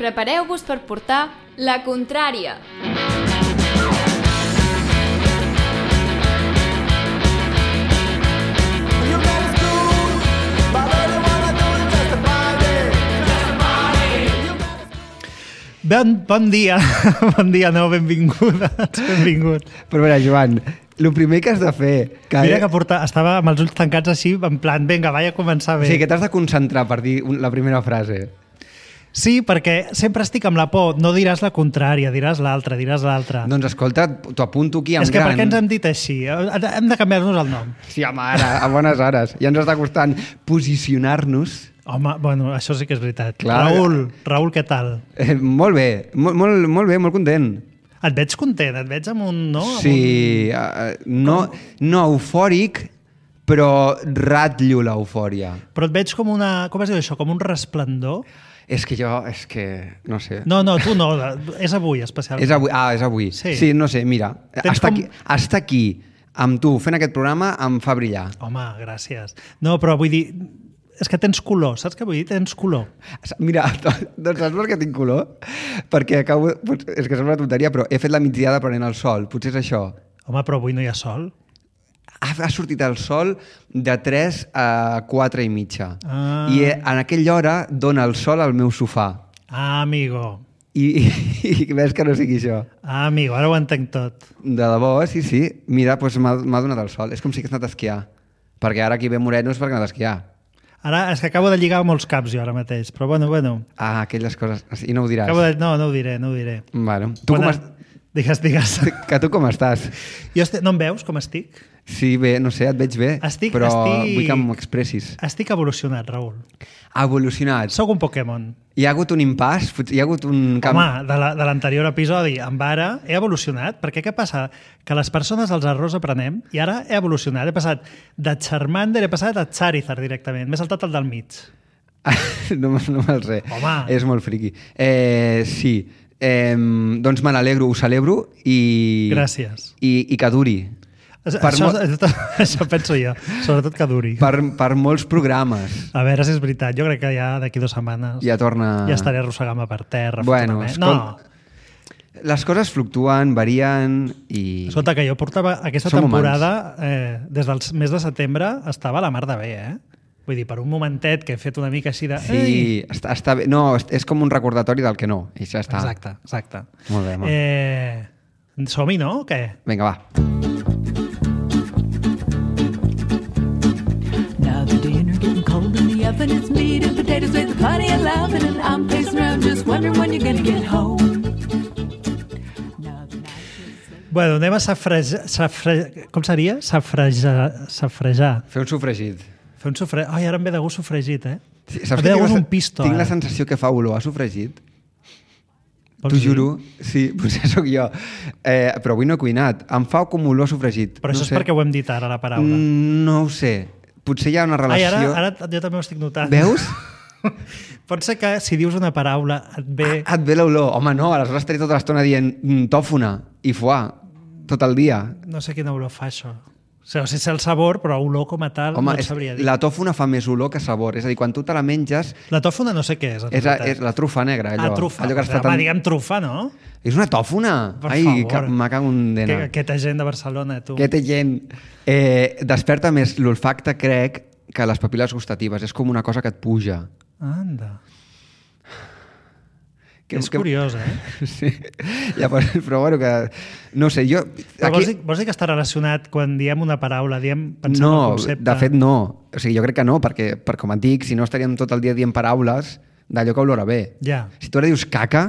prepareu-vos per portar la contrària. Bon dia, no, benvingut. Però a veure, Joan, el primer que has de fer... Mira que estava amb els ulls tancats així, en plan, vinga, vaig a començar bé. O sigui, que t'has de concentrar per dir la primera frase. Sí, perquè sempre estic amb la por. No diràs la contrària, diràs l'altra. Doncs escolta, t'ho apunto aquí en gran. És que per què ens hem dit així? Hem de canviar-nos el nom. Sí, home, ara, a bones hores. Ja ens està costant posicionar-nos. Home, bueno, això sí que és veritat. Clar. Raül, què tal? Molt bé, molt bé, molt content. Et veig content, et veig amb un... No? Sí, no eufòric, però ratllo l'eufòria. Però et veig com una... Com es diu això? Com un resplendor? És que no sé. No, tu no, és avui especialment. És avui. Sí, no sé, mira, estar aquí amb tu fent aquest programa em fa brillar. Home, gràcies. No, però vull dir... És que tens color, saps què vull dir? Tens color. Mira, doncs saps per què tinc color? Perquè acabo... És que sembla una tonteria, però he fet la migdiada prenent el sol. Potser és això. Home, però avui no hi ha sol. Ha sortit el sol de 3 a 4 i mitja. I en aquella hora dona el sol al meu sofà. Amigo. I ves que no sigui això. Amigo, ara ho entenc tot. De debò, sí. Mira, doncs m'ha donat el sol. És com si hagués anat a esquiar. Perquè ara aquí ve moreno és perquè ha anat a esquiar. Ara és que acabo de lligar molts caps jo ara mateix, però bueno. Aquelles coses. I no ho diràs. No ho diré. Bueno, tu com Digues. Que tu com estàs? No em veus com estic? Sí, bé, no sé, et veig bé, però vull que m'expressis. Estic evolucionat, Raül. Evolucionat? Soc un Pokémon. Hi ha hagut un impàs? Hi ha hagut un canvi? Home, de l'anterior episodi amb ara he evolucionat, perquè què passa? Que les persones els errors aprenem i ara he evolucionat. He passat de Charmander, he passat a Charizard directament. M'he saltat el del mig. No me'l sé. Home. És molt friqui. Sí. Doncs me n'alegro, ho celebro i... Gràcies. I que duri. Això penso jo, sobretot que duri. Per molts programes. A veure si és veritat, jo crec que ja d'aquí 2 setmanes ja estaré arrossegant-me per terra. Bueno, no. Les coses fluctuen, varien i... Escolta, que jo portava aquesta temporada, des del mes de setembre, estava a la mar de bé, Vull dir, per un momentet que he fet una mica així de... Sí, està bé. No, és com un recordatori del que no, i ja està. Exacte. Molt bé, molt. Som-hi, no? O què? Vinga, va. Now the dinner getting cold in the oven. It's meat and potatoes with plenty of loving, and I'm pacing around just wondering when you're gonna get home. Bueno, anem a com seria? Safrejar. Fer un sofregit. Ai, ara em ve de gust sofregit, Sí, saps em ve de gust un pisto. Tinc la sensació que fa olor a sofregit. T'ho juro. Sí, potser sóc jo. Però avui no he cuinat. Em fa com olor a sofregit. Però això és perquè ho hem dit ara, la paraula. No ho sé. Potser hi ha una relació... Ara jo també ho estic notant. Veus? Pot ser que si dius una paraula et ve... Et ve l'olor. Home, no, aleshores estaré tota l'estona dient tòfona i foie tot el dia. No sé quina olor fa això. O sigui, sé el sabor, però olor com a tal no et sabria dir. La tòfona fa més olor que sabor. És a dir, quan tu te la menges... La tòfona no sé què és. És la trufa negra, allò. Trufa. Allò que Home, diguem trufa, no? És una tòfona? Per favor. Me cago en dena. Aquesta gent de Barcelona, tu. Aquesta gent. Desperta més l'olfacte, crec, que les papil·les gustatives. És com una cosa que et puja. Anda. És curiós, Sí. Però bueno, que... No sé, jo... Vols dir que està relacionat quan diem una paraula, pensant en el concepte? No, de fet no. O sigui, jo crec que no, perquè com et dic, si no estaríem tot el dia dient paraules d'allò que olora bé. Ja. Si tu ara dius caca...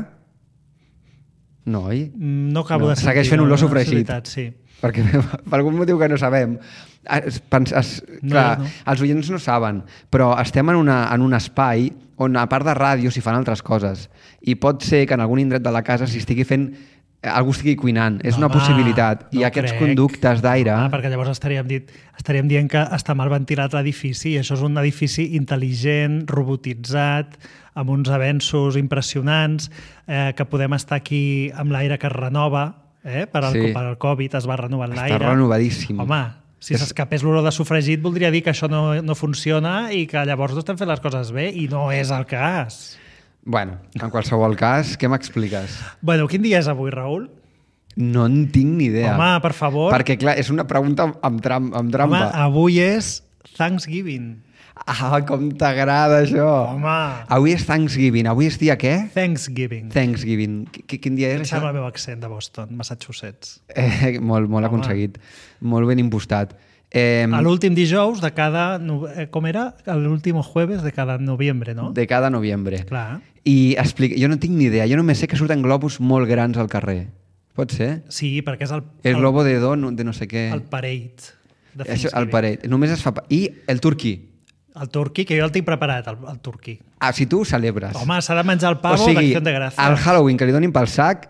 No, oi? No acabo de sentir. Segueix fent olor sofregit. Sí. Perquè per algun motiu que no sabem. Clar, els oients no saben, però estem en un espai on, a part de ràdio, s'hi fan altres coses. I pot ser que en algun indret de la casa algú estigui cuinant. És una possibilitat. I aquests conductes d'aire... Perquè llavors estaríem dient que està mal ventilat l'edifici, i això és un edifici intel·ligent, robotitzat, amb uns avenços impressionants, que podem estar aquí amb l'aire que es renova, per al Covid es va renovant l'aire. Està renovadíssim. Home, si s'escapés l'olor de sofregit voldria dir que això no funciona i que llavors no estem fent les coses bé, i no és el cas. Bueno, en qualsevol cas, què m'expliques? Bueno, quin dia és avui, Raül? No en tinc ni idea. Home, per favor. Perquè, clar, és una pregunta amb trampa. Home, avui és Thanksgiving. Ah, com t'agrada això. Home. Avui és Thanksgiving. Avui és dia què? Thanksgiving. Thanksgiving. Quin dia és Em això? sembla el meu accent de Boston, Massachusetts. Molt aconseguit. Molt ben impostat. A l'últim dijous de cada... Com era? L'últim jueves de cada novembre, no? De cada novembre. Clar. I explica, jo no tinc ni idea. Jo només sé que surten globus molt grans al carrer. Pot ser? Sí, perquè és El globo de no sé què. El parade. De Això, el Thanksgiving. parade. Només es fa... I el turqui. El turqui, que jo el tinc preparat, el turqui. Ah, si tu ho celebres. Home, s'ha de menjar el pavo d'Acció de Gràcia. el Halloween que li donin pel sac,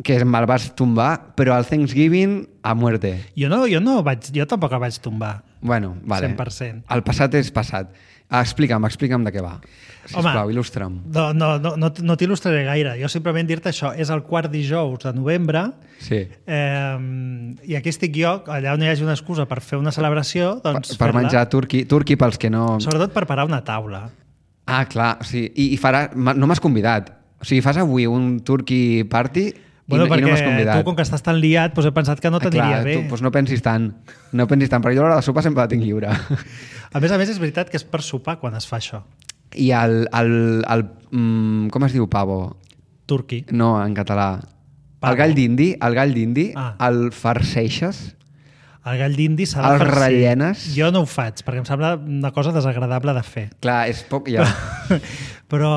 que me'l vas tombar, però el Thanksgiving a muerte. Jo tampoc el vaig tombar. Bueno, vale. 100%. El passat és passat. Explica'm de què va. Sisplau, il·lustra'm. No t'il·lustraré gaire. Jo simplement dir-te això. És el quart dijous de novembre Sí. i aquí estic jo, allà on hi hagi una excusa per fer una celebració, doncs Per menjar turqui pels que no... Sobretot per parar una taula. Ah, clar. O sigui, no m'has convidat. O sigui, fas avui un turqui party i no m'has convidat. Tu, com que estàs tan liat, doncs he pensat que no t'aniria bé. Doncs no pensis tant. No pensis tant, perquè jo l'hora de sopa sempre la tinc lliure. A més, és veritat que és per sopar quan es fa això. I com es diu pavo? Turqui. No, en català. Pavo. El gall d'indi, Ah. el farceixes? El gall d'indi s'ha de El farcir. rellenes? Jo no ho faig, perquè em sembla una cosa desagradable de fer. Clar, és poc ja. Però...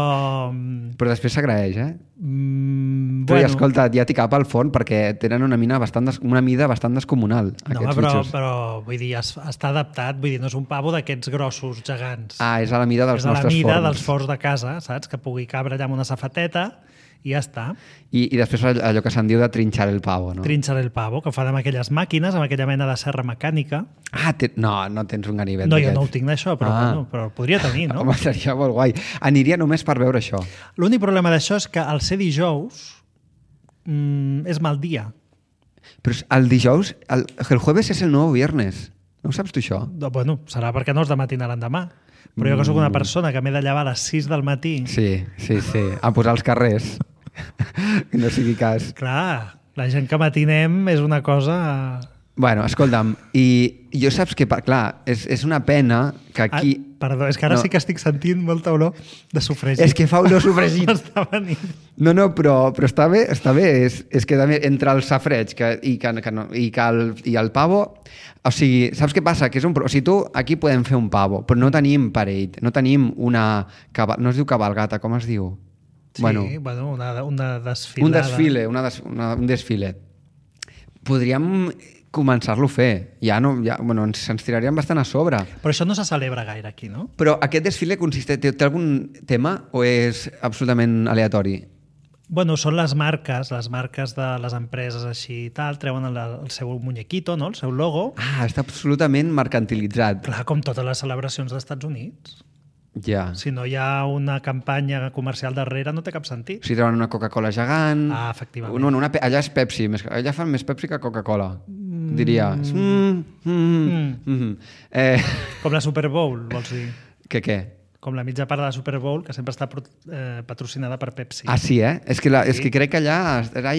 Però després s'agraeix, eh? Però bueno, escolta, ja t'hi cap al forn perquè tenen una mida bastant descomunal, no, aquests però, bitxos. però vull dir, està adaptat, vull dir, no és un pavo d'aquests grossos gegants. Ah, és a la mida dels és a la nostres mida forns. dels forns de casa, saps? Que pugui cabre allà amb una safateta i ja està. I després allò que se'n diu de trinxar el pavo, no? Trinxar el pavo, que ho fan amb aquelles màquines, amb aquella mena de serra mecànica. Ah, no tens un ganivet No, jo d'aquests. no ho tinc d'això, però, bueno, però el podria tenir, no? Home, seria molt guai. Aniria només per veure això. L'únic problema d'això és que al ser dijous és mal dia. Però el dijous, el jueves és el nou viernes. No ho saps tu, això? Bueno, serà perquè no és de matina a l'endemà. Però jo que sóc una persona que m'he de llevar a les 6 del matí... Sí. A posar els carrers. Que no sigui cas. Clar, la gent que matinem és una cosa... Bueno, escolta'm, i jo saps que, clar, és una pena que aquí... Perdó, és que ara No. sí que estic sentint molta olor de sofregit. És que fa olor sofregit. M'està venint. No, però està bé. És que també entre el safreig i el pavo... O sigui, saps què passa? Que és o sigui, aquí podem fer un pavo, però no tenim parade, no tenim una... No es diu cabalgata, com es diu? Sí, bueno, una desfilada. Un desfile. Podríem començar-lo a fer. Ens tiraríem bastant a sobre. Però això no se celebra gaire aquí, no? Però aquest desfile té algun tema o és absolutament aleatori? Bueno, són les marques de les empreses així i tal, treuen el seu muñequito, no? El seu logo. Ah, està absolutament mercantilitzat. Clar, com totes les celebracions dels Estats Units. Ja. Si no hi ha una campanya comercial darrere, no té cap sentit. Si treuen una Coca-Cola gegant... Ah, efectivament. No, allà és Pepsi. Allà fan més Pepsi que Coca-Cola, diria. Com la Super Bowl, vols dir? Què? Com la mitja part de la Super Bowl, que sempre està patrocinada per Pepsi. Ah, sí, eh? És que crec que allà era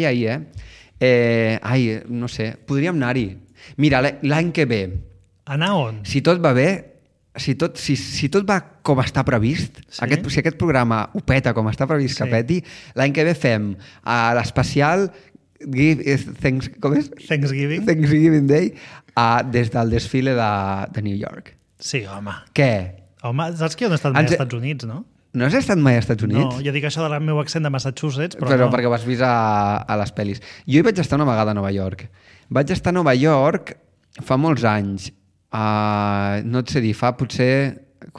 ahir, no sé, podríem anar-hi. Mira, l'any que ve... Anar on? Si tot va bé, si tot va com està previst, Sí? si aquest programa ho peta com està previst que peti, l'any que ve fem l'especial com és? Thanksgiving Day des del desfile de New York. Sí, home. Què? Home, saps que jo no he estat mai als Estats Units, no? No has estat mai als Estats Units? No, jo dic això del meu accent de Massachusetts, però no. Perquè ho has vist a les pel·lis. Jo hi vaig estar una vegada a Nova York. Vaig estar a Nova York fa molts anys. No et sé dir, fa potser...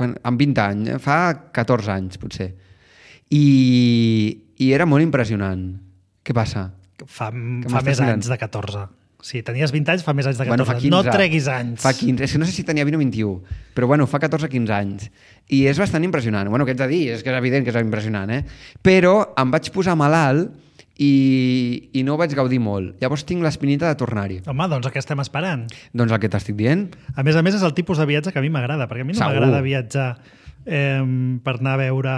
amb 20 anys, fa 14 anys, potser. I era molt impressionant. Què passa? Fa més anys de 14. Si tenies 20 anys, fa més anys de 14. Bueno, fa 15. No treguis anys. Fa 15. És que no sé si tenia 20 o 21, però bueno, fa 14 o 15 anys. I és bastant impressionant. Bueno, què ets a dir? És que és evident que és impressionant, eh? Però em vaig posar malalt i no ho vaig gaudir molt. Llavors tinc l'espinita de tornar-hi. Home, doncs què estem esperant? Doncs el que t'estic dient. A més, és el tipus de viatge que a mi m'agrada, perquè a mi no Segur. m'agrada viatjar per anar a veure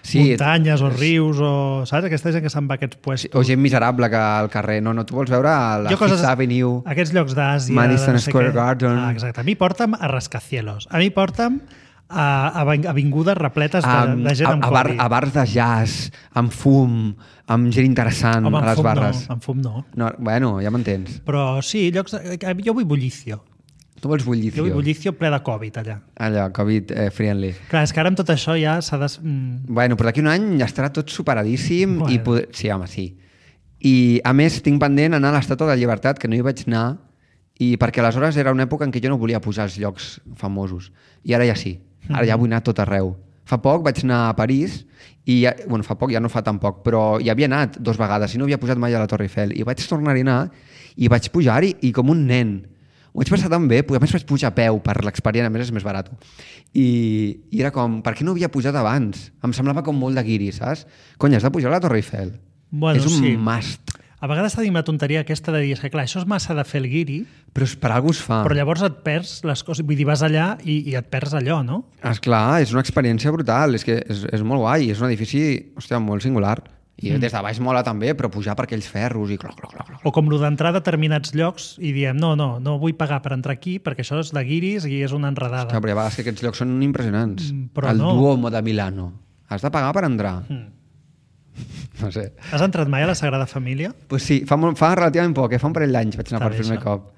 Sí, muntanyes o rius o, saps? Aquesta gent que se'n va a aquests puestos. O gent miserable que al carrer. No, tu vols veure la Fifth Avenue, aquests llocs d'Àsia, Madison de no sé Square què. Garden. Exacte. A mi porta'm a rascacielos. A mi porta'm a avingudes repletes de gent amb Covid. A bars de jazz, amb fum, amb gent interessant Home, a les barres. No, amb fum no. No, bueno, ja m'entens. Però sí, llocs... Jo vull bullicio. Tu vols bullicio. Jo vull bullicio ple de Covid, allà. Allà, Covid friendly. Clar, és que ara amb tot això ja s'ha de... Bueno, però d'aquí un any ja estarà tot superadíssim. Bueno. I sí, home, sí. I, a més, tinc pendent anar a l'Estàtua de la Llibertat, que no hi vaig anar, i perquè aleshores era una època en què jo no volia pujar als llocs famosos. I ara ja sí. Ara ja vull anar a tot arreu. Fa poc vaig anar a París i fa poc, ja no fa tan poc, però hi havia anat 2 vegades i no havia pujat mai a la Torre Eiffel i vaig tornar-hi a anar i vaig pujar-hi i com un nen. Ho vaig passar tan bé, a més vaig pujar a peu per l'experiència, a més és més barat. I era com, per què no havia pujat abans? Em semblava com molt de guiri, saps? Cony, has de pujar a la Torre Eiffel. Bueno, és un sí. must. A vegades tenim la tonteria aquesta de dir que clar, això és massa de fer el guiri, Però per algú es fa. però llavors et perds les coses, vull dir, vas allà i et perds allò, no? Esclar, és una experiència brutal, és que és molt guai, és un edifici, hòstia, molt singular. I des de baix mola també, però pujar per aquells ferros i cloc. O com lo d'entrar a determinats llocs i diem, no vull pagar per entrar aquí perquè això és de guiris i és una enredada. Que, però hi ha vegades que aquests llocs són impressionants. Però el no. Duomo de Milano. Has de pagar per entrar. No sé. Has entrat mai a la Sagrada Família? Pues sí, fa relativament poc, fa un parell d'anys vaig anar per primer cop.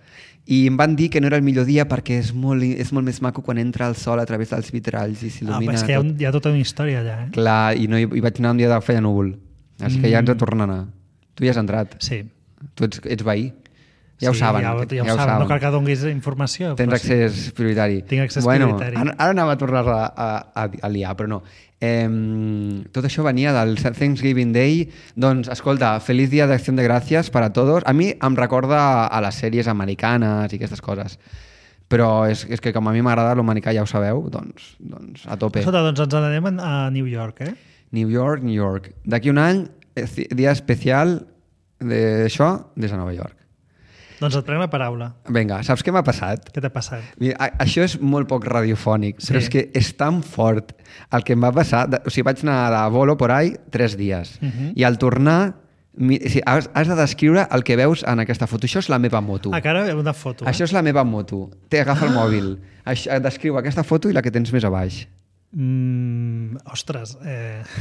I em van dir que no era el millor dia perquè és molt més maco quan entra el sol a través dels vitralls i s'il·lumina és que tot. hi ha tota una història allà, eh? Clar, i hi vaig anar un dia de feia núvol. És que ja ens tornen a anar. Tu hi has entrat. Sí. Tu ets veí. Ja ho saben. Ja ho saben. No cal que donis informació. Tens accés prioritari. Tinc accés prioritari. Ara anava a tornar a liar, però no. Tot això venia del Thanksgiving Day. Doncs, escolta, feliç dia d'acció de gràcies per a tots. A mi em recorda a les sèries americanes i aquestes coses. Però és que com a mi m'agrada l'americà, ja ho sabeu, doncs a tope. Escolta, doncs ens n'anem a New York, eh? New York. D'aquí un any, dia especial d'això des de Nova York. Doncs et prenc la paraula. Vinga, saps què m'ha passat? Què t'ha passat? Mira, això és molt poc radiofònic, però és que és tan fort el que em va passar. O sigui, vaig anar de bolo por ahí 3 dies. I al tornar, has de descriure el que veus en aquesta foto. Això és la meva moto. Ah, que ara una foto. Això és la meva moto. Agafa el mòbil. Descriu aquesta foto i la que tens més a baix. Ostres.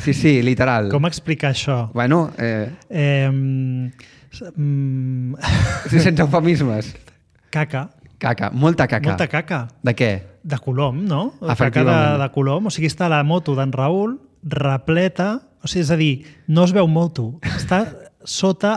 Sí, literal. Com explicar això? Bueno, sense eufemismes. Caca. Molta caca. Molta caca. De què? De Colom, no? Efectivament. Caca de Colom. O sigui, està la moto d'en Raül repleta, o sigui, és a dir, no es veu moto. Està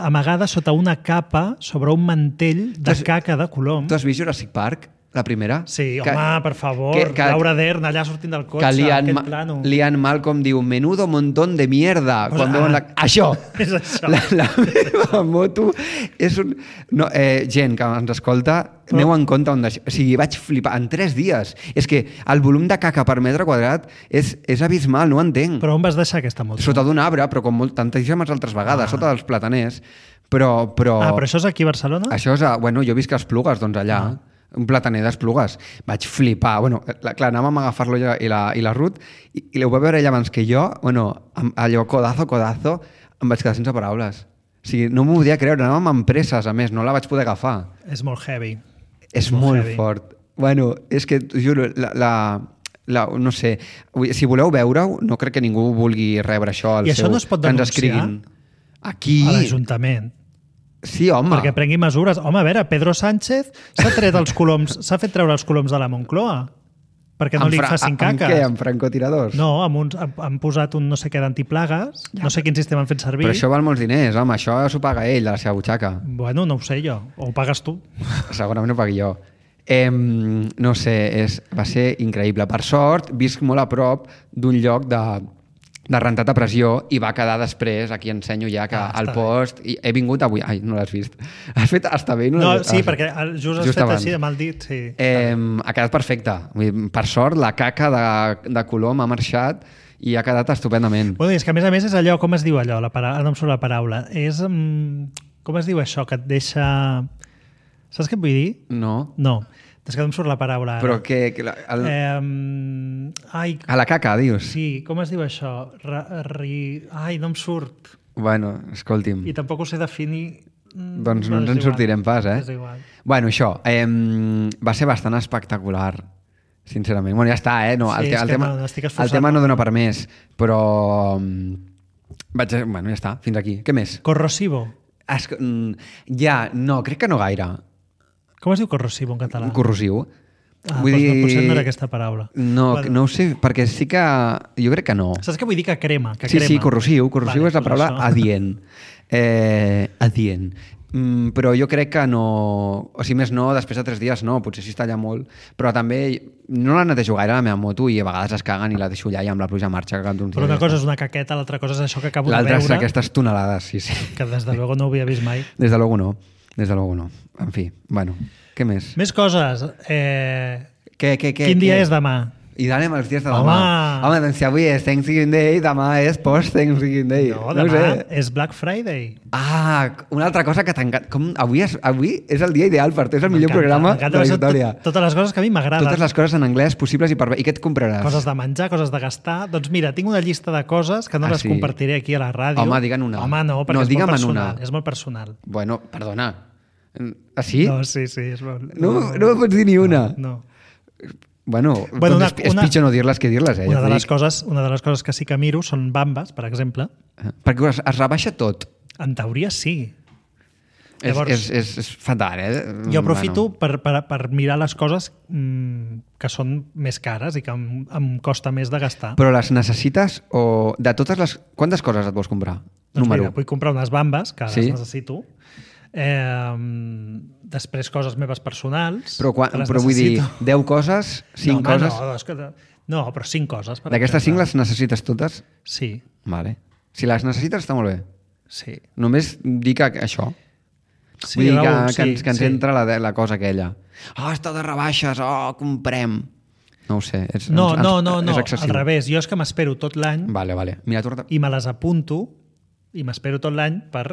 amagada sota una capa, sobre un mantell de caca de Colom. Tu has vist Jurassic Park? La primera? Sí, home, per favor. Laura Dern allà sortint del cotxe, aquest plano. Lian Malcolm diu, menudo montón de mierda. Quan veuen Això! És això. La meva moto és un... No, gent que ens escolta, aneu en compte on deixeu. O sigui, vaig flipar en 3 dies. És que el volum de caca per metre quadrat és abismal, no ho entenc. Però on vas deixar aquesta moto? Sota d'un arbre, però com tantíssimes altres vegades, sota dels plataners. Però això és aquí a Barcelona? Això és bueno, jo visc a Esplugues, doncs allà. Un plataner d'Esplugues. Vaig flipar. Bueno, clar, anàvem a agafar-lo i la Ruth i ho va veure ella abans que jo. Bueno, allò codazo, em vaig quedar sense paraules. O sigui, no m'ho podia creure. Anàvem amb presses, a més, no la vaig poder agafar. És molt heavy. És molt fort. Bueno, és que, juro, no sé, si voleu veure-ho, no crec que ningú vulgui rebre això. I això no es pot denunciar? Aquí... A l'Ajuntament. Sí, home. Perquè prengui mesures. Home, a veure, Pedro Sánchez s'ha fet treure els coloms de la Moncloa perquè no li facin caques. Amb què? Amb francotiradors? No, han posat un no sé què d'antiplagues, no sé quin sistema han fet servir. Però això val molts diners, home, això s'ho paga ell, de la seva butxaca. Bueno, no ho sé jo, o ho pagues tu. Segurament ho pagui jo. No sé, va ser increïble. Per sort, visc molt a prop d'un lloc de rentat a pressió i va quedar després, aquí ensenyo ja que al post, i he vingut avui, ai, no l'has vist, has fet està bé? No, sí, perquè just has fet així de mal dit, sí. Ha quedat perfecte, per sort la caca de Colom ha marxat i ha quedat estupendament. Bueno, és que a més és allò, com es diu allò, no em surt la paraula, és, com es diu això, que et deixa... Saps què et vull dir? No. No. És que no em surt la paraula ara. Però que... Ai, A la caca, dius? sí, com es diu això? Ai, no em surt. Bueno, escolti'm. I tampoc ho sé definir. Doncs no ens en sortirem pas, És igual. Bueno, això, va ser bastant espectacular, sincerament. Bueno, ja està, No, Sí, és que no, estic esforçant el tema no molt. dona per més, però... Bueno, ja està, fins aquí. Què més? Corrosivo. No, crec que no gaire. Com es diu corrosivo en català? Corrosiu. Vull dir... potser no era aquesta paraula. No, Bueno. no ho sé, perquè sí que... Jo crec que no. Saps què vull dir? Que crema. Que Sí, crema. sí, corrosiu. Corrosiu Vale, és la paraula això. adient. Adient. Però jo crec que no... O sigui, més no, després de 3 dies no, potser sí està allà molt, però també no la netejo gaire la meva moto i a vegades es caguen i la deixo allà i amb la pluja marxa cagant uns Però una dies. cosa és una caqueta, l'altra cosa és això que acabo de L'altra és veure, aquestes tonelades, sí, sí. que des de luego no ho havia vist mai. Des de luego no. Des de luego no. En fi, bueno, què més? Més coses. Què? Quin dia és demà? I anem els dies de Home! demà. Home, doncs si avui és Thanksgiving Day, demà és post-Thanksgiving Day. No, No ho demà sé. és Black Friday. Una altra cosa que t'encanta. Avui és el dia ideal per tu, és el millor M'encanta, programa m'encanta, de la són història. Totes les coses que a mi m'agraden. Totes les coses en anglès possibles i per... I què et compraràs? Coses de menjar, coses de gastar. Doncs mira, tinc una llista de coses que no les sí? compartiré aquí a la ràdio. Home, digue'n una. Home, no, perquè No, és molt digue'm en personal. una. És molt personal. Bueno, perdona. Ah, sí? No, sí, és molt... No me pots dir ni una? No. Bueno, Bueno, doncs és pitjor no dir-les que dir-les, Una ja de t'ho les dic. coses que sí que miro són bambes, per exemple. Perquè es rebaixa tot. En teoria sí. Llavors, és fatal, Jo aprofito per mirar les coses que són més cares i que em costa més de gastar. Però les necessites o... De totes les... Quantes coses et vols comprar? Doncs Número mira, vull comprar unes bambes, que Sí? les necessito. Després coses meves personals. Però, que les però vull dir, necessito. 10 coses, 5 no, coses... No, és que, no, però 5 coses. per D'aquestes 5 exemple. les necessites totes? Sí, Vale. Si les necessites està molt bé. sí. Només dic això. Sí, Vull dir Raül, que ens sí. entra la cosa aquella. Està de rebaixes, comprem. No ho sé. No, és excessiu. al revés. Jo és que m'espero tot l'any Vale. Mira, tu... i me les apunto i m'espero tot l'any per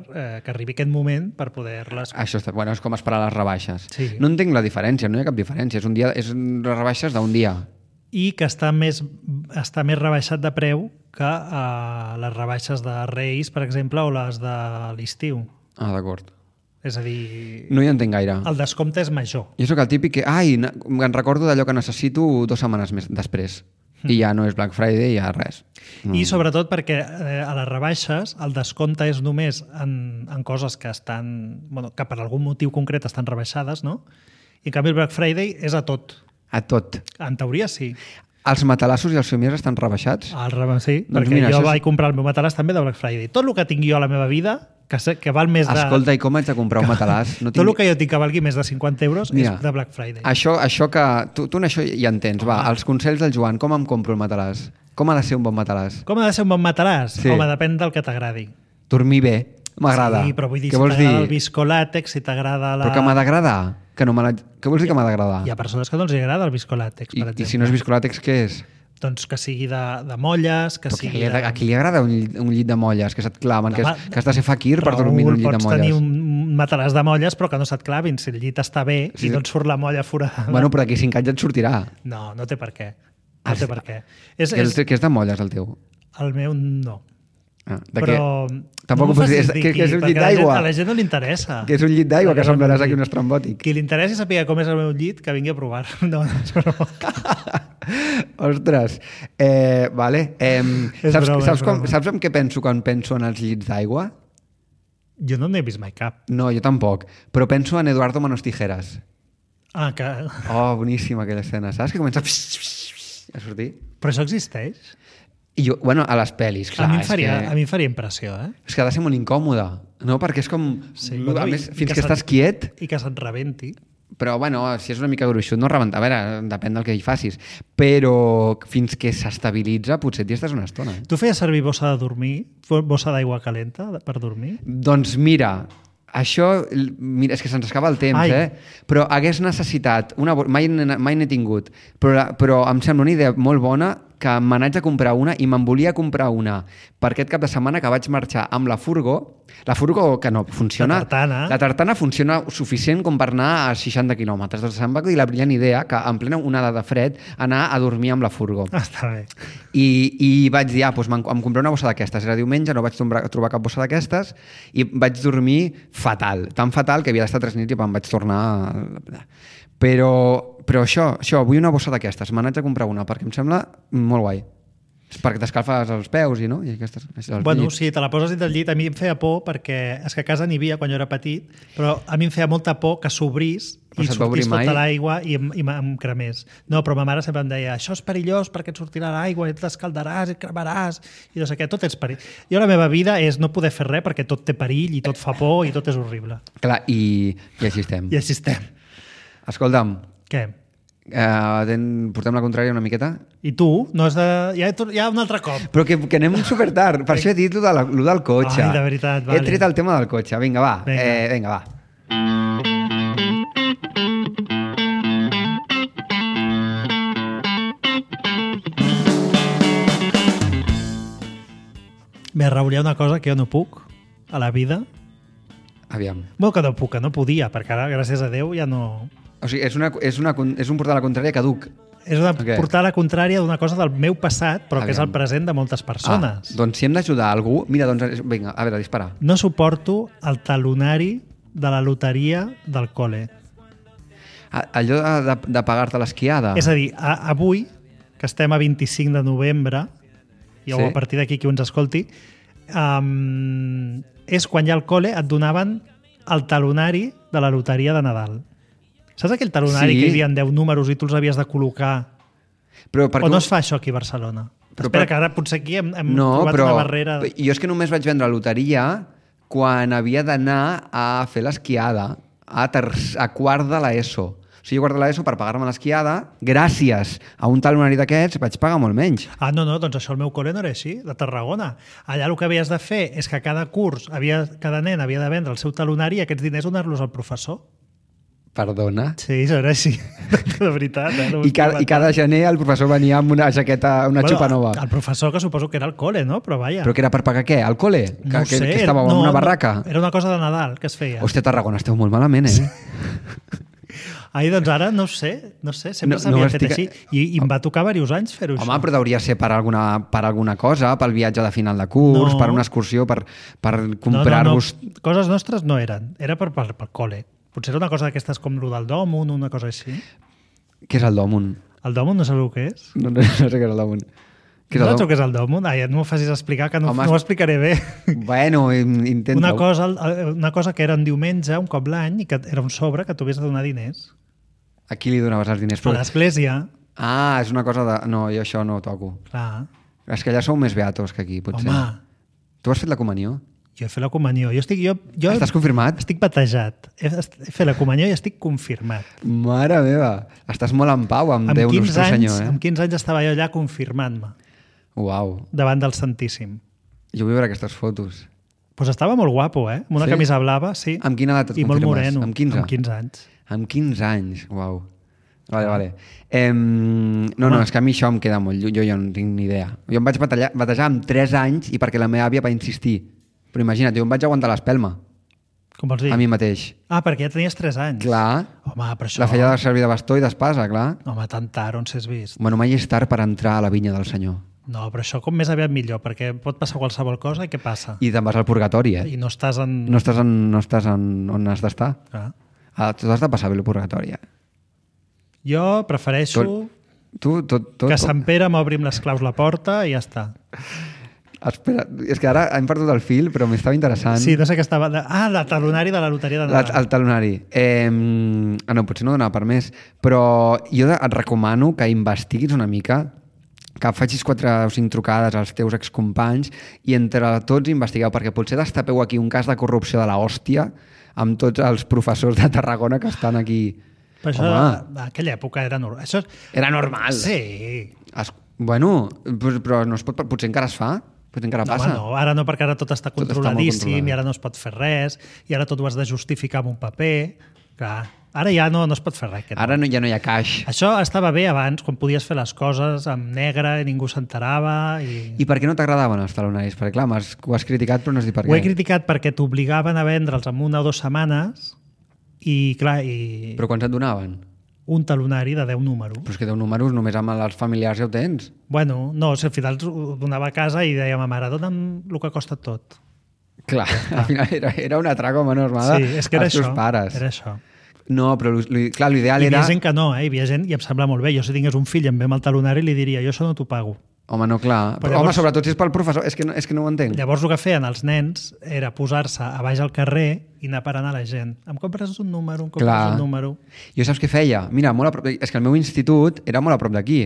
que arribi aquest moment per poder-les... Això està... Bueno, és com esperar les rebaixes. Sí. No entenc la diferència, no hi ha cap diferència. És les rebaixes d'un dia. I que està més rebaixat de preu que les rebaixes de Reis, per exemple, o les de l'estiu. D'acord. És a dir, No hi entenc gaire. el descompte és major. Jo sóc el típic que... Em recordo d'allò que necessito 2 setmanes més després. I ja no és Black Friday, ja res. I sobretot perquè a les rebaixes el descompte és només en coses que estan... Bueno, que per algun motiu concret estan rebaixades, no? I en canvi el Black Friday és a tot. A tot. En teoria sí. Els matalassos i els somiers estan rebaixats? Sí, Doncs perquè mira, jo això és- vaig comprar el meu matalàs també de Black Friday. Tot el que tinc jo a la meva vida, que val més de... Escolta, i com haig de comprar un matalàs? No Tot el que jo tinc que valgui més de 50 euros Mira, és de Black Friday. Això que... Tu en això ja entens, va. Els consells del Joan, com em compro el matalàs? Com ha de ser un bon matalàs? Com ha de ser un bon matalàs? Sí. Home, depèn del que t'agradi. Dormir bé, m'agrada. Sí, però vull dir, Què si vols dir? t'agrada el viscolàtex, si t'agrada la... Però que m'ha d'agradar? Què vols dir que m'ha d'agradar? Hi ha persones que no els agrada el viscolàtex, per exemple. I si no és viscolàtex, què és? Doncs que sigui de molles, que Però sigui a qui li agrada un llit de molles, que se't clamen, que has de ser faquir per Raül, dormir en un llit de pots tenir molles? un matalàs de molles però que no se't clavin. Si el llit està bé Sí. i no et surt la molla forada... Bueno, però d'aquí 5 anys et sortirà. No té per què. No té per què. Que és de molles, el teu? El meu no. De Però Tampoc no ho pots dir. Que és un llit d'aigua. A la gent no li interessa. Que és un llit d'aigua, que És el meu semblaràs aquí llit. un estrambòtic. Qui li interessi saber com és el meu llit, que vingui a provar. No, és broma. Ostres. Vale. És Saps, broma, saps, és broma. saps en què penso quan penso en els llits d'aigua? Jo no n'he vist mai cap. No, jo tampoc. Però penso en Eduardo Manos Tijeras. Que... Oh, boníssima aquella escena. Saps que comença a sortir? Però això existeix? I jo, bueno, a les pel·lis, clar. a mi em és faria impressió, que ha de ser molt incòmode, no? Perquè és com... Sí, a més, i fins que que estàs quiet, I que se't rebenti. però bueno, si és una mica gruixut, no rebenta. A veure, depèn del que hi facis. Però fins que s'estabilitza, potser t'hi estàs una estona. Tu feies servir bossa de dormir? Bossa d'aigua calenta per dormir? Doncs mira, això, mira, és que se'ns acaba el temps, Ai. però hagués necessitat, mai n'he tingut, però em sembla una idea molt bona que me n'haig de comprar una i me'n volia comprar una per aquest cap de setmana que vaig marxar amb la furgo que no funciona. La tartana funciona suficient com per anar a 60 quilòmetres. Doncs em va dir la brillant idea que en plena onada de fred anar a dormir amb la furgo. Està bé. I vaig dir, doncs em compré una bossa d'aquestes. Era diumenge, no vaig trobar cap bossa d'aquestes i vaig dormir fatal. Tan fatal que havia d'estar 3 nits i em vaig tornar... Però això, vull una bossa d'aquestes. Me n'haig de comprar una perquè em sembla molt guai. Perquè t'escalfes els peus i no? I aquestes, bueno, sí, te la poses dins del llit. A mi em feia por perquè és que a casa n'hi havia quan jo era petit, però a mi em feia molta por que s'obrís i sortís tota l'aigua i em cremés. No, però ma mare sempre em deia això és perillós perquè et sortirà l'aigua i t'escaldaràs i et cremaràs i no sé què, tot és perill. Jo la meva vida és no poder fer res perquè tot té perill i tot fa por i tot és horrible. Clar, i així estem. I així estem. Escolta'm. Què? Portem la contrària una miqueta? I tu? No has de... Ja un altre cop. Però que anem super tard. Per això he dit lo del cotxe. Ai, de veritat, vale. He tret el tema del cotxe. Vinga, va. Vinga, va. Bé, Raül, hi ha una cosa que jo no puc a la vida. Aviam. Bueno, que no puc, que no podia, perquè ara, gràcies a Déu, ja no... O sigui, és un portar la contrària caduc. És portar la contrària d'una cosa del meu passat, però que és el present de moltes persones. Doncs si hem d'ajudar algú... Mira, doncs, vinga, a veure, dispara. No suporto el talonari de la loteria del col·le. Allò de pagar-te l'esquiada? És a dir, avui, que estem a 25 de novembre, i a partir d'aquí qui ens escolti, és quan ja al col·le et donaven el talonari de la loteria de Nadal. Saps aquell talonari que hi havia 10 números i tu els havies de col·locar? O no es fa això aquí a Barcelona? Espera, que ara potser aquí hem trobat una barrera... Jo és que només vaig vendre loteria quan havia d'anar a fer l'esquiada a quart de l'ESO. O sigui, quart de l'ESO, per pagar-me l'esquiada, gràcies a un talonari d'aquests, vaig pagar molt menys. No, doncs això al meu col·le no era així, de Tarragona. Allà el que havies de fer és que cada curs, cada nen havia de vendre el seu talonari i aquests diners donar-los al professor. Perdona? Sí, això era així, de veritat. I cada gener el professor venia amb una jaqueta, una xupa nova. El professor, que suposo que era el col·le, no? Però vaja. Però que era per pagar què? El col·le? No sé. Que estava en una barraca? Era una cosa de Nadal que es feia. Hòstia, Tarragona, esteu molt malament, Doncs ara no sé, sempre s'havia fet així. I em va tocar diversos anys fer-ho així. Home, però hauria ser per alguna cosa, pel viatge de final de curs, per una excursió, per comprar-vos... No. Coses nostres no eren, era per col·le. Potser era una cosa d'aquestes com el del Dòmun, una cosa així. Què és el Dòmun? El Dòmun no saps el que és? No sé què és el Dòmun. No saps el que és el Dòmun? No m'ho facis explicar, que no ho explicaré bé. Bueno, intenta-ho. Una cosa que era un diumenge, un cop l'any, i que era un sobre que tu havies de donar diners. A qui li donaves els diners? A l'església. És una cosa de... No, jo això no ho toco. Clar. És que allà sou més beatos que aquí, potser. Home. Tu has fet la comunió? Jo he fet la comunió. Estàs confirmat? Estic batejat. He fet la comunió i estic confirmat. Mare meva, estàs molt en pau amb Déu nostre Senyor. Amb 15 anys estava jo allà confirmant-me. Uau. Davant del Santíssim. Jo vull veure aquestes fotos. Pues estava molt guapo, amb una camisa blava, sí. Amb quina edat et confirmes? I molt moreno. Amb 15? Amb 15 anys. Amb 15 anys, uau. Vale. No, és que a mi això em queda molt... Jo no tinc ni idea. Jo em vaig batejar amb 3 anys i perquè la meva àvia va insistir. Però imagina't, jo em vaig aguantar l'espelma. Com vols dir? A mi mateix. Perquè ja tenies 3 anys. Clar. Home, però això... La feia de servir de bastó i d'espasa, clar. Home, tan tard, on s'has vist? Bueno, mai és tard per entrar a la vinya del Senyor. No, però això com més aviat millor, perquè pot passar qualsevol cosa i què passa? I te'n vas al purgatori, I no estàs en... No estàs on has d'estar. Clar. Tu has de passar bé el purgatori, Jo prefereixo que Sant Pere m'obri amb les claus la porta i ja està. Espera, és que ara hem perdut el fil, però m'estava interessant. Sí, no sé què estava... el talonari de la loteria de Nadal. El talonari. No, potser no donava per més, però jo et recomano que investiguis una mica, que facis 4 o 5 trucades als teus excompanys i entre tots investigueu, perquè potser destapeu aquí un cas de corrupció de la hòstia amb tots els professors de Tarragona que estan aquí. Però això, en aquella època era normal. Això... Era normal. Sí. Bueno, però no es pot, potser encara es fa? Potser encara passa? No, ara no, perquè ara tot està controladíssim i ara no es pot fer res i ara tot ho has de justificar amb un paper. Clar. Ara ja no es pot fer res. Ara ja no hi ha caix. Això estava bé abans, quan podies fer les coses amb negre i ningú s'enterava. I per què no t'agradaven els talonaris? Perquè clar, ho has criticat però no has dit per què. Ho he criticat perquè t'obligaven a vendre'ls en 1 o 2 setmanes i clar... Però quants et donaven? Un talonari de 10 números. Però és que 10 números només amb els familiars ja ho tens. Bueno, no, al final ho donava a casa i deia a ma mare, dona'm el que costa tot. Clar, al final era una traca menor mare Sí, és que era als teus això. pares. Era això. No, però clar, l'ideal Hi era... havia gent que no, hi havia gent, i em sembla molt bé. Jo si tingués un fill i em ve amb el talonari li diria, jo això no t'ho pago. Home, no, clar. Però Home, llavors- sobretot si és pel professor, és que no ho entenc. Llavors el que feien els nens era posar-se a baix al carrer i anar parant a la gent. Em compres un número, em compres Clar. un número. Jo saps què feia? Mira, molt a prop, és que el meu institut era molt a prop d'aquí.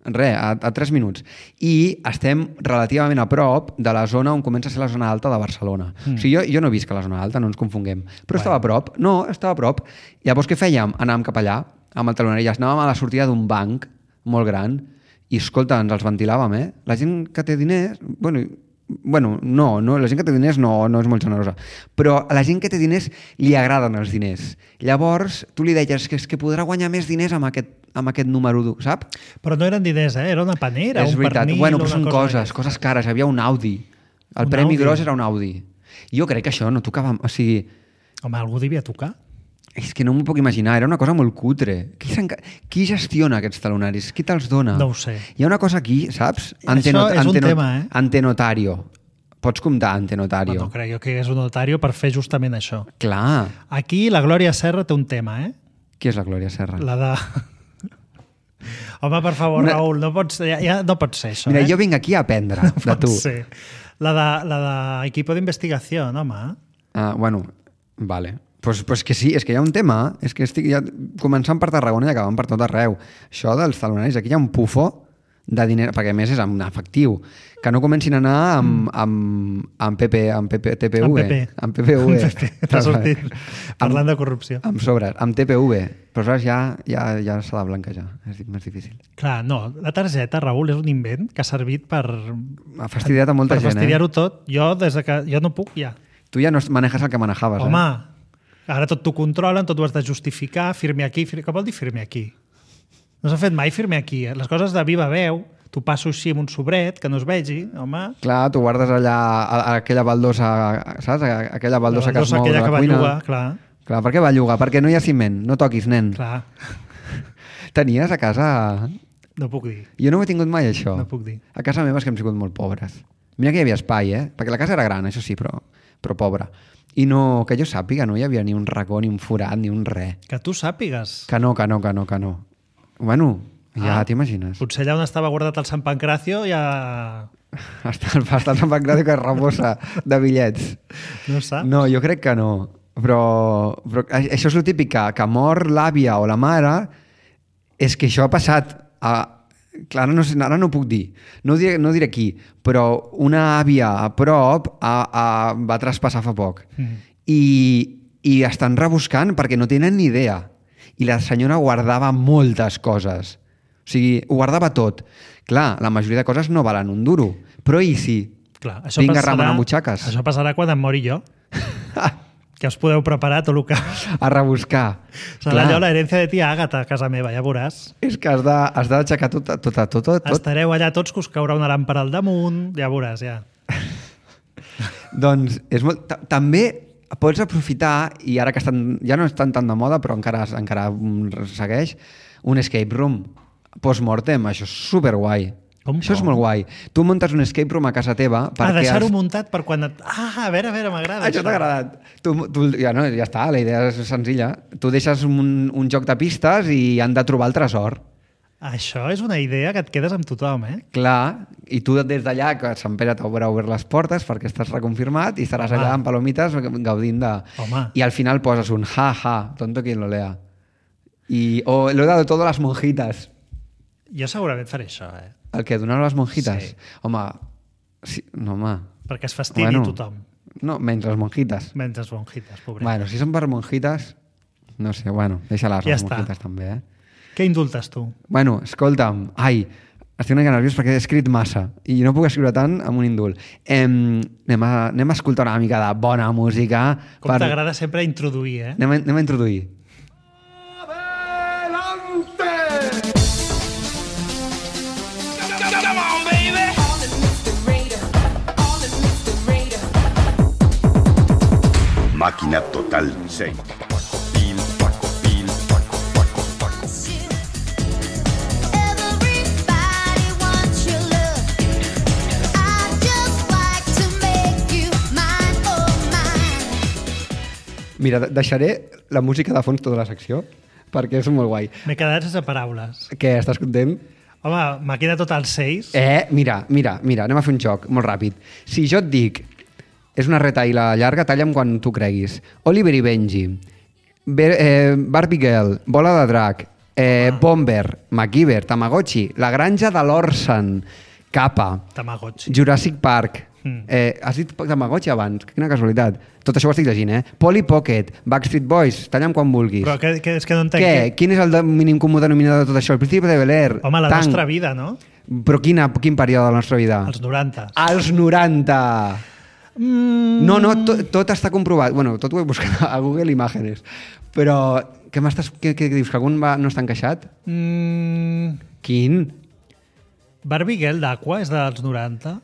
Res, a 3 minuts. I estem relativament a prop de la zona on comença a ser la zona alta de Barcelona. O sigui, jo no visc a la zona alta, no ens confonguem. Però estava a prop. No, estava a prop. Llavors què fèiem? Anàvem cap allà, amb el talonari. Anàvem a la sortida d'un banc molt gran i, escolta, ens els ventilàvem, eh? La gent que té diners... Bueno, no, la gent que té diners no és molt generosa, però a la gent que té diners li agraden els diners. Llavors, tu li deies que és que podrà guanyar més diners amb aquest número dur, saps? Però no eren diners, era una panera, És un veritat. pernil... Bueno, però una són cosa coses cares. Hi havia un Audi. El Un premi Audi. gros era un Audi. Jo crec que això no tocava... O sigui, Home, algú devia tocar. és que no m'ho puc imaginar. Era una cosa molt cutre. Qui gestiona aquests talonaris? Qui te'ls dona? No ho sé. Hi ha una cosa aquí, saps? Això és un tema, eh? Antenotario. Pots comptar antenotario. No crec jo que és un notario per fer justament això. Clar. Aquí la Glòria Serra té un tema, eh? Qui és la Glòria Serra? La de... Home, per favor, Una- Raül, no pot ser, ja no pot ser això, Mira, eh? jo vinc aquí a aprendre de Pot tu. ser. La de equipo d'investigació, home. Ah, bueno, vale. Pues que sí, és que hi ha un tema, és que estic ja començant per Tarragona i acabant per tot arreu. Això dels talonaris, aquí hi ha un pufo de diner, perquè a més és en efectiu, que no comencin a anar amb TPV. Amb PPV. T'ha sortit parlant de corrupció. Amb sobres, amb TPV. Però aleshores ja s'ha de blanquejar, és més difícil. Clar, no, la targeta, Raül, és un invent que ha servit per... Ha fastidiat a molta per gent, fastidiar-ho tot. Jo, des que jo no puc, ja. Tu ja no manejes el que manejaves, Home, ara tot t'ho controlen, tot ho has de justificar, firme aquí, què vol dir firme aquí? No s'ha fet mai firme aquí. Les coses de viva veu, t'ho passo així amb un sobret, que no es vegi, home. Clar, tu guardes allà aquella baldosa, saps? Aquella baldosa que es mou de aquella la que va cuina. llogar, clar. Clar, per què va llogar? Perquè no hi ha ciment, no toquis, nen. Clar, Tenies a casa... no puc dir. Jo no ho he tingut mai, això. No puc dir. A casa meva és que hem sigut molt pobres. Mira que hi havia espai, perquè la casa era gran, això sí, però pobra. I no, que jo sàpiga, no hi havia ni un racó, ni un forat, ni un res. Que tu sàpigues. Que no. Bueno, ja t'imagines. Potser allà on estava guardat el Sant Pancracio ja... Està el Sant Pancracio que es rebossa de bitllets. No saps? No, jo crec que no. Però això és el típic, que mor l'àvia o la mare, és que això ha passat clar, ara no puc dir, no diré qui, però una àvia a prop va traspassar fa poc. I estan rebuscant perquè no tenen ni idea. I la senyora guardava moltes coses. O sigui, ho guardava tot. Clar, la majoria de coses no valen un duro, però i sí. Clar, això Vinga, passarà, remenar butxaques. Això passarà quan em mori jo. Que us podeu preparar tot el que... A rebuscar. Serà allò l'herència de tia Àgata a casa meva, ja veuràs. És que has d'aixecar tot. Estareu allà tots que us caurà una làmpara al damunt, ja veuràs, ja. Doncs és molt... També pots aprofitar, i ara que ja no estan tan de moda, però encara segueix, un escape room post-mortem. Això és superguai. Això és molt guai. Tu muntes un escape room a casa teva perquè... deixar-ho muntat per quan... a veure, m'agrada. Això t'ha agradat. Ja està, la idea és senzilla. Tu deixes un joc de pistes i han de trobar el tresor. Això és una idea que et quedes amb tothom, eh? Clar, i tu des d'allà, que Sant Pere t'haurà obert les portes perquè estàs reconfirmat i estaràs allà amb palomites gaudint de... Home. I al final poses un tonto quien lo lea. O lo he dado todo a las monjitas. Jo segurament faré això, eh? El que donar a les monjitas? Sí. Home, sí, no, home. Perquè es fastidi tothom. No, menys les monjitas. Menys les monjitas, pobret. Bueno, si són per monjitas, no sé, bueno, deixa-les Ja les està. monjitas també, eh? Què indultes tu? Bueno, escolta'm, estic una mica nerviós perquè he escrit massa i no puc escriure tant amb un indult. Anem a escoltar una mica de bona música. Com t'agrada sempre introduir, eh? Anem a introduir. Máquina Total 6. Mira, deixaré la música de fons tota la secció perquè és molt guai. M'he quedat sense paraules. Què, estàs content? Home, Màquina Total 6. Mira, anem a fer un joc molt ràpid. Si jo et dic, és una retaïla llarga, talla'm quan tu creguis. Oliver i Benji, Barbie Girl, Bola de Drac, Bomber, MacGyver, Tamagotchi, La Granja de l'Orson, Kappa, Tamagotchi. Jurassic Park. Has dit Tamagotchi abans? Quina casualitat. Tot això ho estic llegint, Polly Pocket, Backstreet Boys, talla'm quan vulguis. Però és que no entenc... Què? Quin és el mínim comú denominador de tot això? El Príncipe de Bel-Air. Home, la nostra vida, no? Però quin període de la nostra vida? Els 90. Els 90! No, tot està comprovat. Bueno, tot ho he buscat a Google Imágenes. Però què dius? Que algun no està encaixat? Quin? Barbie Girl d'Aqua és dels 90?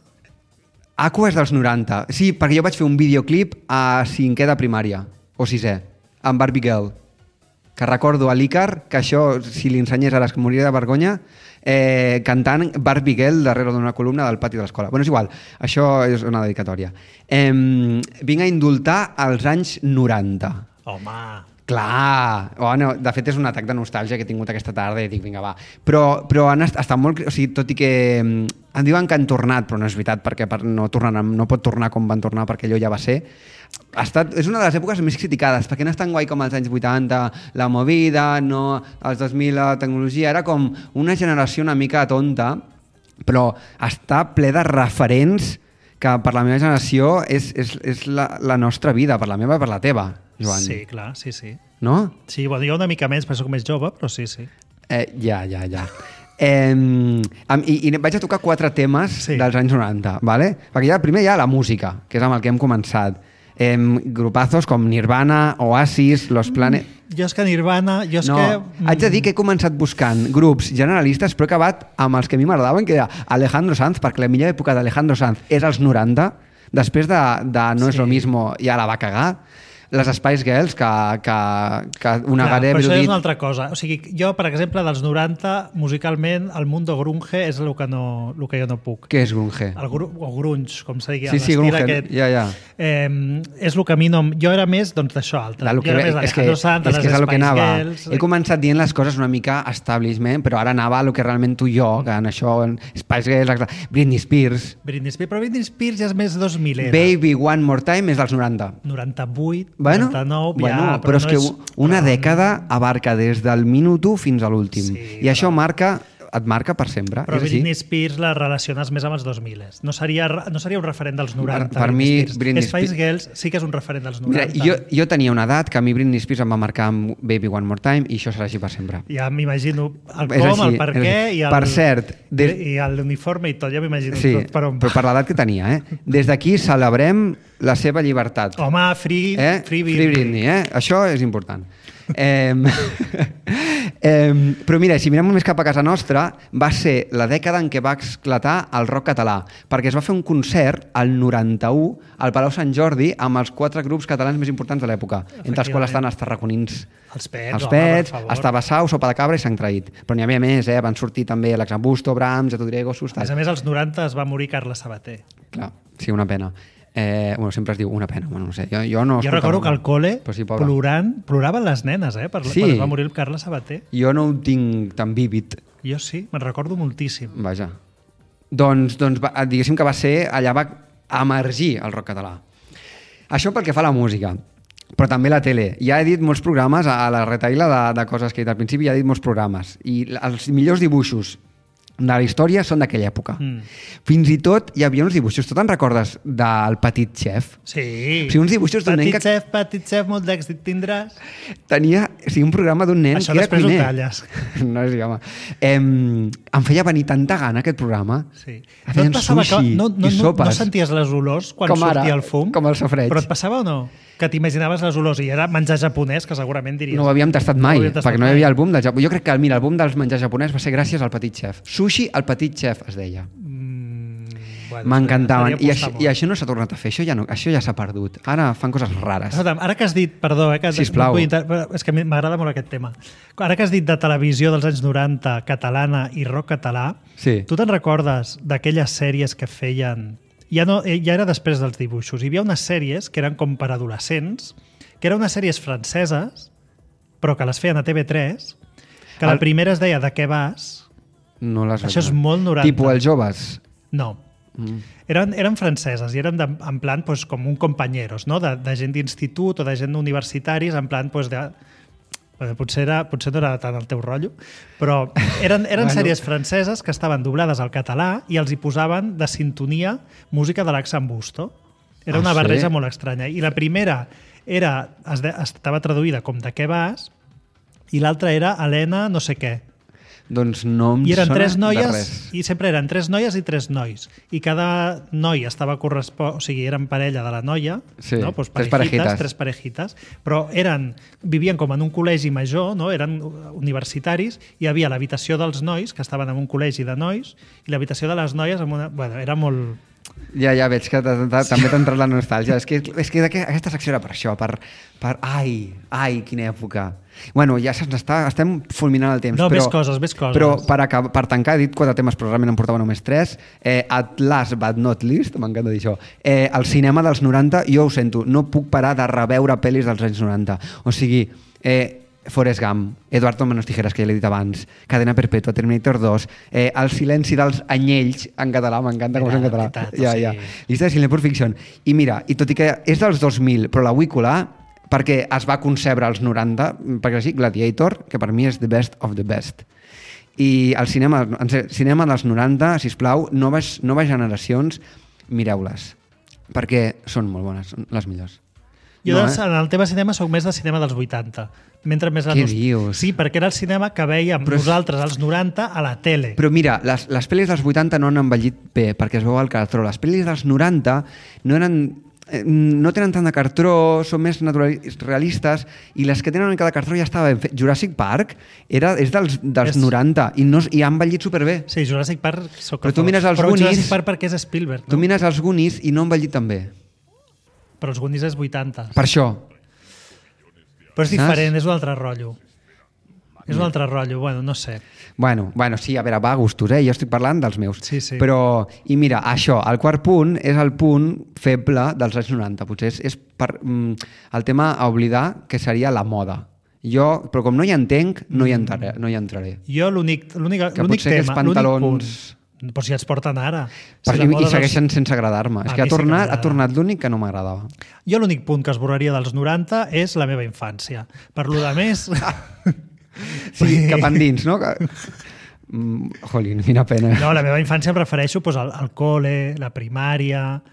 Aqua és dels 90. Sí, perquè jo vaig fer un videoclip a 5è de primària, o 6è, amb Barbie Girl. Que recordo a l'Icar, que això, si li ensenyés ara, es moriria de vergonya, cantant Barbie Girl darrere d'una columna del pati de l'escola. Bueno, és igual, això és una dedicatòria. Vinc a indultar als anys 90. Home... Clar, bueno, de fet és un atac de nostàlgia que he tingut aquesta tarda i dic, vinga, va. Però han estat molt... O sigui, tot i que em diuen que han tornat, però no és veritat, perquè no pot tornar com van tornar, perquè allò ja va ser. És una de les èpoques més criticades, perquè no és tan guai com els anys 80, la movida, no, els 2000, la tecnologia, era com una generació una mica tonta, però està ple de referents que per la meva generació és la nostra vida, per la meva i per la teva, Joan. Sí, clar, sí. No? Sí, bueno, jo una mica menys, perquè soc més jove, però sí. Ja. I vaig a tocar 4 temes dels anys 90, ¿vale? Perquè primer hi ha la música, que és amb el que hem començat. Grupazos com Nirvana, Oasis, Los Planet... Jo és que Nirvana... Haig de dir que he començat buscant grups generalistes, però he acabat amb els que a mi m'agradaven, que era Alejandro Sanz, perquè la millor època d'Alejandro Sanz és als 90, després de No es lo mismo ja la va cagar. Les Spice Girls, que una Clar, gare... però això és una altra cosa. O sigui, jo, per exemple, dels 90, musicalment, el mundo grunge és el que jo no puc. Què és grunge? O grunge, com se digui. Sí, grunge, aquest. Ja. És el que a mi no... Jo era més, doncs, d'això altre. Jo era més Alejandro Sanz, les Spice Girls... He començat dient les coses una mica establishment, però ara anava a lo que realment tu i jo, que en això, Spice Girls, Britney Spears... Però Britney Spears ja és més 2000 era. Baby One More Time és dels 90. 98... Bueno, 99, però és que una dècada abarca des del minut 1 fins a l'últim. I això et marca per sempre. Però Britney Spears la relaciones més amb els 2000. No seria un referent dels 90. Per mi, Britney Spice Girls sí que és un referent dels 90. Mira, jo tenia una edat que a mi Britney Spears em va marcar amb Baby One More Time i això serà així per sempre. Ja m'imagino el com, el per què i l'uniforme i tot, ja m'imagino tot per on. Però per l'edat que tenia, Des d'aquí celebrem la seva llibertat. Home, free Britney. Això és important. Però mira, si mirem més cap a casa nostra, va ser la dècada en què va esclatar el rock català, perquè es va fer un concert al 91 al Palau Sant Jordi amb els 4 grups catalans més importants de l'època, entre els quals estan els tarraconins, els Pets, estava Sau, Sopa de Cabra i Sant Traït. Però n'hi havia més, van sortir també Alexambusto, Brahms, Atudrego, Sustat. A més, als 90 es va morir Carla Sabater. Clar, sí, una pena. Sempre es diu una pena, no sé. Jo recordo que al cole ploraven les nenes quan es va morir Carla Sabater. Jo no ho tinc tan vívid. Jo sí, me'n recordo moltíssim. Vaja. Doncs diguéssim que allà va emergir el rock català. Això pel que fa a la música, però també la tele. Ja he dit molts programes, a la retaïla de coses que he dit al principi, ja he dit molts programes. I els millors dibuixos de la història són d'aquella època. Fins i tot hi havia uns dibuixos. Tu te'n recordes del Petit Chef? Sí. O sigui, uns dibuixos d'un nen que... Petit Chef, molt d'èxit tindràs. Tenia un programa d'un nen això que era cuiner. Això després ho talles. No és home. Em feia venir tanta gana aquest programa. Sí. Feien sushi i sopes. No senties les olors quan sortia el fum? Com el sofreig. Però et passava o no? Que t'imaginaves les olors i era menjar japonès, que segurament diries... No ho havíem tastat mai, perquè no hi havia el boom del Japó. Jo crec que el boom dels menjars japonès va ser gràcies al Petit Chef. Sushi al Petit Chef, es deia. M'encantaven. I això no s'ha tornat a fer, això ja s'ha perdut. Ara fan coses rares. Ara que has dit, perdó, Sisplau. És que m'agrada molt aquest tema. Ara que has dit de televisió dels anys 90, catalana i rock català, Sí. tu te'n recordes d'aquelles sèries que feien... Ja era després dels dibuixos. Hi havia unes sèries que eren com per adolescents, que eren unes sèries franceses, però que les feien a TV3, que la primera es deia De què vas? No les Això veig. és molt 90. Tipo Els joves. No. Eren franceses i eren en plan pues, com un companyeros, no? de gent d'institut o de gent universitaris, en plan pues, potser no era tant el teu rotllo, però eren sèries franceses que estaven doblades al català i els hi posaven de sintonia música de l'Axan Busto. Era una barreja molt estranya. I la primera estava traduïda com De què vas i l'altra era Helena no sé què. Doncs no em I eren sona tres de noies, res. i sempre eren 3 noies i 3 nois. I cada noi estava o sigui, eren parella de la noia, Sí, no? Pues tres parejitas. 3 parejitas, però vivien com en un col·legi major, no? Eren universitaris, i hi havia l'habitació dels nois, que estaven en un col·legi de nois, i l'habitació de les noies amb una... Bueno, era molt... Ja veig que també t'ha entrat la nostàlgia. És que aquesta secció era per això, Ai, quina època. Bueno, ja estem fulminant el temps. No, però, ves coses. Però per tancar, he dit 4 temes, però realment em portava només 3. At last but not least, m'encanta dir això, el cinema dels 90, jo ho sento, no puc parar de reveure pel·lis dels anys 90. O sigui, Forrest Gump, Eduardo Manos Tijeras, que ja l'he dit abans, Cadena Perpètua, Terminator 2, El silenci dels anyells, en català, m'encanta com és en català. Llista de Cinema Pulp Fiction. I mira, i tot i que és dels 2000, però la vull colar perquè es va concebre als 90, perquè sí, Gladiator, que per mi és the best of the best. I el cinema dels 90, sisplau, noves generacions, mireu-les, perquè són molt bones, són les millors. Jo en el tema cinema soc més de cinema dels 80. Què dius? Sí, perquè era el cinema que veiem nosaltres als 90 a la tele. Però mira, les pel·lis dels 80 no han envellit bé, perquè es veu al cartró. Les pel·lis dels 90 no tenen tant de cartró, són més realistes, i les que tenen una mica de cartró ja estava ben fet. Jurassic Park és dels 90 i ha envellit superbé. Sí, Jurassic Park Però tu mires els Goonies... Jurassic Park perquè és Spielberg, no? Tu mires els Goonies i no ha envellit tan bé. Però els Goonies és 80. Per això. Però és diferent, és un altre rotllo. És un altre rotllo, bueno, no sé. Bueno, sí, a veure, va a gustos, jo estic parlant dels meus. Sí. Però, i mira, això, el quart punt és el punt feble dels anys 90. Potser és el tema a oblidar, que seria la moda. Però com no hi entenc, no hi entraré. Jo l'únic tema, que els pantalons... l'únic punt... Però si els porten ara. I segueixen sense agradar-me. És que ha tornat l'únic que no m'agradava. Jo l'únic punt que esborraria dels 90 és la meva infància. Per lo de més... Sí, cap endins, no? Jolín, quina pena. No, la meva infància em refereixo al col·le, la primària...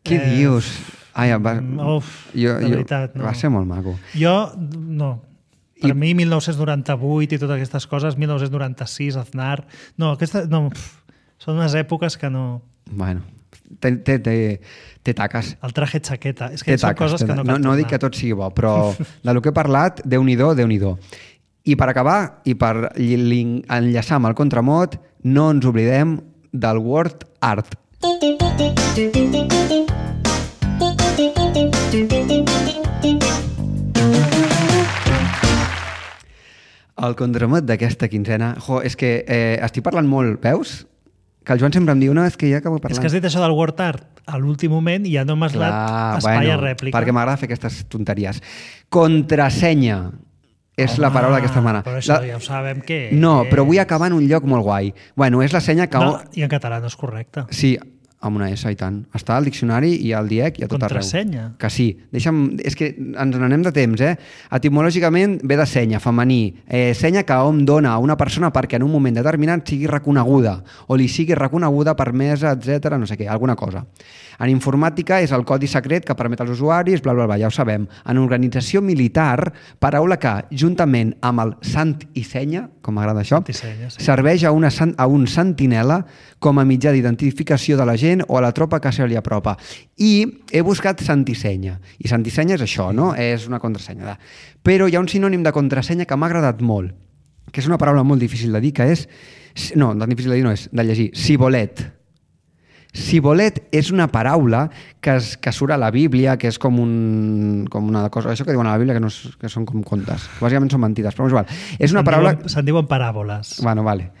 Què dius? Ai, de veritat, no. Va ser molt maco. Jo, no. Per mi, 1998 i totes aquestes coses, 1996, Aznar... No, són unes èpoques que no... Bueno, té taques. El traje chaqueta. És que són coses que no cal tornar. No dic que tot sigui bo, però del que he parlat, Déu-n'hi-do, Déu-n'hi-do. I per acabar, i per enllaçar amb el contramot, no ens oblidem del word art. El contramot d'aquesta quinzena... És que estic parlant molt, veus? Que el Joan sempre em diu, no, és que ja acabo parlant. És que has dit això del word art a l'últim moment i ja no m'has donat espai a rèplica. Perquè m'agrada fer aquestes tonteries. Contrasenya és la paraula d'aquesta setmana. Però això ja ho sabem què és. No, però vull acabar en un lloc molt guai. Bueno, és la senya que... No, i en català no és correcte. Sí, amb una S i tant. Està al diccionari i al DIEC i a tot arreu. Contrasenya. Que sí. És que ens n'anem de temps, Etimològicament ve de senya, femení. Senya que hom dona a una persona perquè en un moment determinat sigui reconeguda o li sigui reconeguda, permesa, etc, no sé què, alguna cosa. En informàtica és el codi secret que permet als usuaris, bla, bla, bla, ja ho sabem. En organització militar, paraula que, juntament amb el sant i senya, com m'agrada això, serveix a un sentinela com a mitjà d'identificació de la gent o a la tropa que se li apropa. I he buscat sant i senya. I sant i senya és això, no? És una contrasenya. Però hi ha un sinònim de contrasenya que m'ha agradat molt, que és una paraula molt difícil de dir, que és... No, tan difícil de dir no és, de llegir. Cibolet. Sibolet és una paraula que surt a la Bíblia, que és com una cosa... Això que diuen a la Bíblia, que són com contes. Bàsicament són mentides, però és igual. És una paraula... Se'n diuen paràboles. Bueno, vale.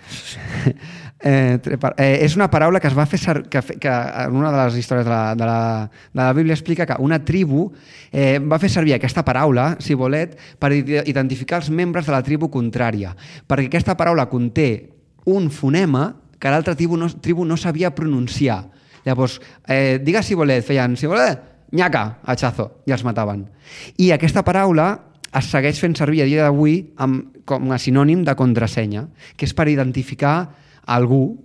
És una paraula que es va fer que en una de les històries de la Bíblia explica que una tribu va fer servir aquesta paraula, sibolet, per identificar els membres de la tribu contrària, perquè aquesta paraula conté un fonema que l'altra tribu no sabia pronunciar. Llavors, digues sibolet, feien sibolet, nyaca, hachazo, i els mataven. I aquesta paraula es segueix fent servir a dia d'avui com a sinònim de contrasenya, que és per identificar algú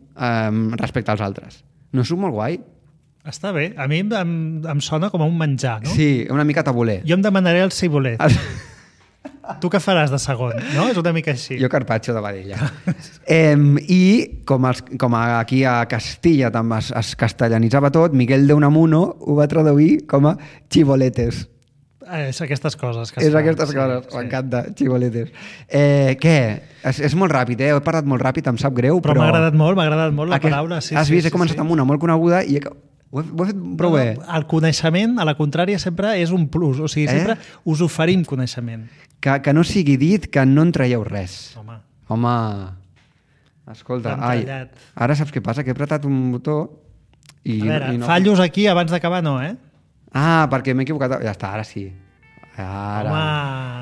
respecte als altres. No és molt guai? Està bé. A mi em sona com a un menjar, no? Sí, una mica tabuler. Jo em demanaré el cibolet. Tu què faràs de segon, no? És una mica així. Jo carpaccio de vedella. I com aquí a Castilla també es castellanitzava tot, Miguel de Unamuno ho va traduir com a chivoletes. És aquestes coses. És aquestes coses, m'encanta, chivoletes. Què? És molt ràpid, He parlat molt ràpid, em sap greu, però... M'ha agradat molt la paraula. Has vist, he començat amb una molt coneguda i ho he fet prou bé. El coneixement, a la contrària, sempre és un plus. O sigui, sempre us oferim coneixement. Que no sigui dit que no en traieu res. Home. Escolta, ara saps què passa? Que he apretat un botó i... A veure, fallos aquí abans d'acabar no, perquè m'he equivocat. Ja està, ara sí. Home.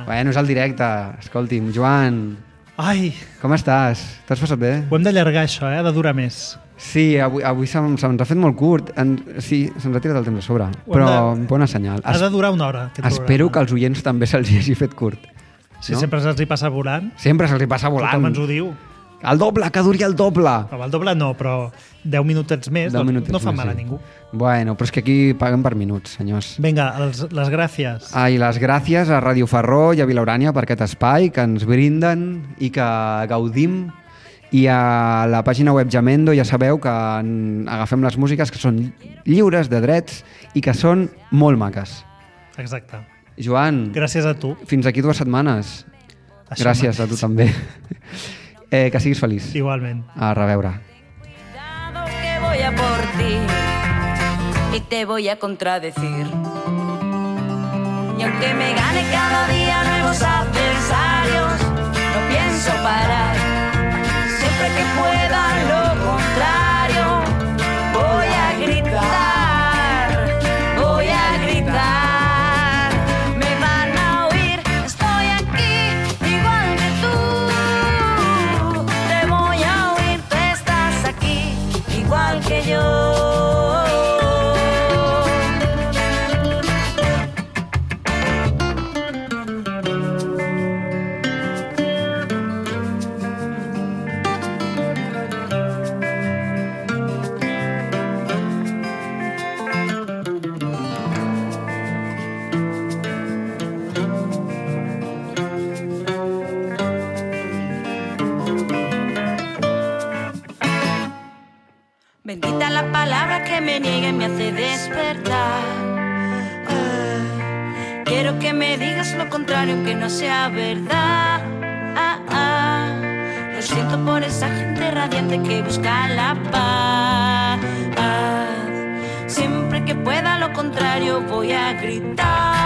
Bueno, és el directe. Escolti'm, Joan. Ai. Com estàs? T'has passat bé? Ho hem d'allargar, això, de durar més. Sí, avui se'ns ha fet molt curt. Sí, se'ns ha tirat el temps a sobre. Però bona senyal. Ha de durar una hora. Espero que als oients també se'ls hagi fet curt. Sí, sempre se'ls hi passa volant. Sempre se'ls hi passa volant. Tothom ens ho diu. El doble, que duri el doble. El doble no, però 10 minutets més no fa mal a ningú. Bueno, però és que aquí paguen per minuts, senyors. Vinga, les gràcies. I les gràcies a Ràdio Ferró i a Vilaurània per aquest espai que ens brinden i que gaudim. I a la pàgina web Jamendo ja sabeu que agafem les músiques que són lliures de drets i que són molt maques. Exacte. Joan. Gràcies a tu. Fins aquí 2 setmanes. Gràcies a tu també. Que siguis feliç. Igualment. A reveure. Cuidado que voy a por ti y te voy a contradecir. Y aunque me gane cada día nuevos adversarios, no pienso parar. Siempre que pueda lo contrario, voy a gritar, voy a gritar. Me van a oír, estoy aquí, igual que tú. Te voy a oír, tú estás aquí, igual que yo. Bendita la palabra que me niega y me hace despertar. Quiero que me digas lo contrario, aunque no sea verdad. Lo siento por esa gente radiante que busca la paz. Siempre que pueda lo contrario voy a gritar.